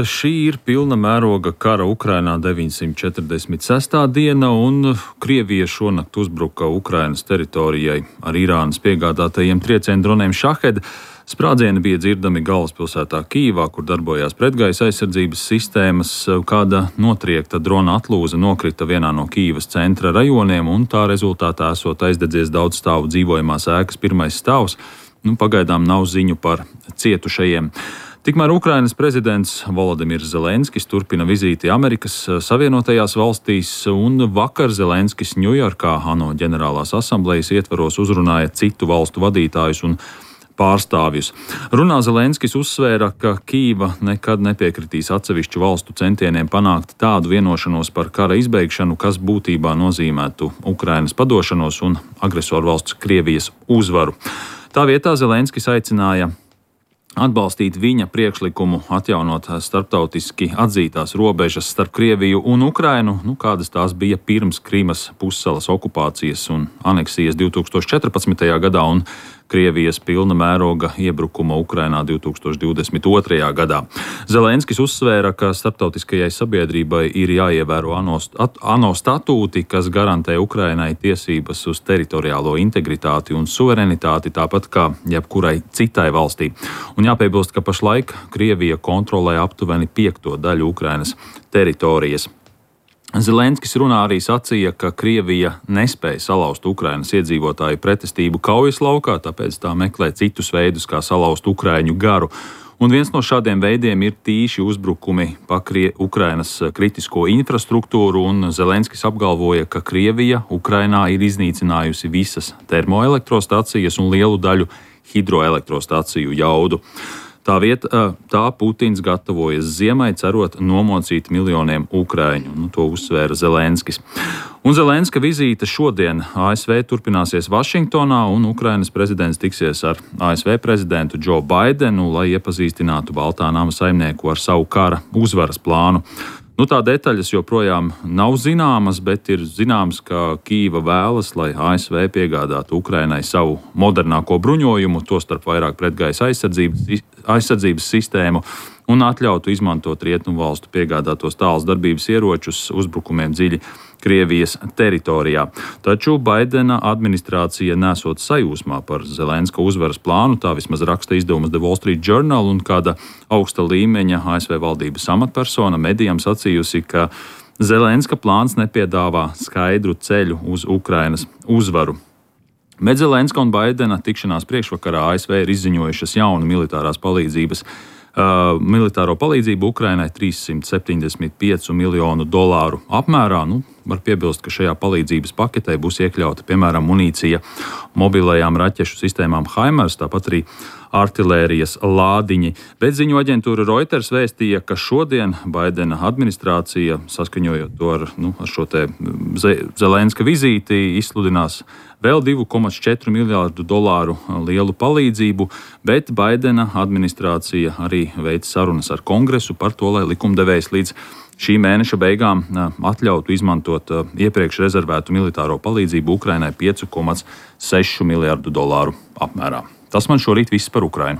Šī ir pilna mēroga kara Ukrainā 946. diena, un Krievija šonakt uzbruka Ukrainas teritorijai ar Irānas piegādātajiem triecienu droniem Šahed. Sprādzieni bija dzirdami galvaspilsētā Kijivā, kur darbojās pretgaisa aizsardzības sistēmas. Kāda notriekta drona atlūza nokrita vienā no Kijivas centra rajoniem, un tā rezultātā esot aizdedzies daudz stāvu dzīvojamās ēkas pirmais stāvs. Pagaidām nav ziņu par cietušajiem. Tikmēr Ukrainas prezidents Volodimirs Zelenskis turpina vizīti Amerikas Savienotajās valstīs, un vakar Zelenskis Ņujorkā ANO ģenerālās asamblejas ietvaros uzrunāja citu valstu vadītājus un pārstāvjus. Runā Zelenskis uzsvēra, ka Kijeva nekad nepiekritīs atsevišķu valstu centieniem panākt tādu vienošanos par kara izbeigšanu, kas būtībā nozīmētu Ukrainas padošanos un agresoru valsts Krievijas uzvaru. Tā vietā Zelenskis aicināja atbalstīt viņa priekšlikumu atjaunot starptautiski atzītās robežas starp Krieviju un Ukrainu, kādas tās bija pirms Krimas pussalas okupācijas un aneksijas 2014. gadā un Krievijas pilna mēroga iebrukuma Ukrainā 2022. gadā. Zelenskis uzsvēra, ka starptautiskajai sabiedrībai ir jāievēro ANO statūti, kas garantē Ukrainai tiesības uz teritoriālo integritāti un suverenitāti, tāpat kā jebkurai citai valstī. Un jāpiebilst, ka pašlaik Krievija kontrolē aptuveni 5. daļu Ukrainas teritorijas. Zelenskis runā arī sacīja, ka Krievija nespēja salauzt Ukrainas iedzīvotāju pretestību kaujas laukā, tāpēc tā meklē citus veidus, kā salauzt ukraiņu garu. Un viens no šādiem veidiem ir tīši uzbrukumi pa Ukrainas kritisko infrastruktūru, un Zelenskis apgalvoja, ka Krievija Ukrainā ir iznīcinājusi visas termoelektrostacijas un lielu daļu hidroelektrostaciju jaudu. Tā Putins gatavojas ziemai, cerot nomocīt miljoniem ukraiņu. To uzsvēra Zelenskis. Un Zelenska vizīte šodien ASV turpināsies Vašingtonā, un Ukrainas prezidents tiksies ar ASV prezidentu Džo Baidenu, lai iepazīstinātu Baltā nama saimnieku ar savu kara uzvaras plānu. Tā detaļas joprojām nav zināmas, bet ir zināms, ka Kijeva vēlas, lai ASV piegādātu Ukrainai savu modernāko bruņojumu, tostarp vairāk pretgaisa aizsardzības sistēmu, un atļautu izmantot rietumu valstu piegādātos tāls darbības ieročus uzbrukumiem dziļi Krievijas teritorijā. Taču Baidena administrācija nesot sajūsmā par Zelenska uzvaras plānu, tā vismaz raksta izdevums The Wall Street Journal, un kāda augsta līmeņa ASV valdības amatpersona medijam sacījusi, ka Zelenska plāns nepiedāvā skaidru ceļu uz Ukrainas uzvaru. Bet Zelenska un Baidena tikšanās priekšvakarā ASV ir izziņojušas jaunu militāro palīdzību Ukrainai $375 miljonu apmērā. Var piebilst, ka šajā palīdzības paketē būs iekļauta, piemēram, munīcija mobilajām raķešu sistēmām HIMARS, tāpat arī artilērijas lādiņi. Bet ziņu aģentūra Reuters vēstīja, ka šodien Baidena administrācija, saskaņojot to ar šo te Zelenska vizīti, izsludinās vēl $2,4 miljārdu lielu palīdzību, bet Baidena administrācija arī veic sarunas ar Kongresu par to, lai likumdevējs līdz šī mēneša beigām atļautu izmantot iepriekš rezervētu militāro palīdzību Ukrainai $5,6 miljārdu apmērā. Tas man šorīt viss par Ukrainu.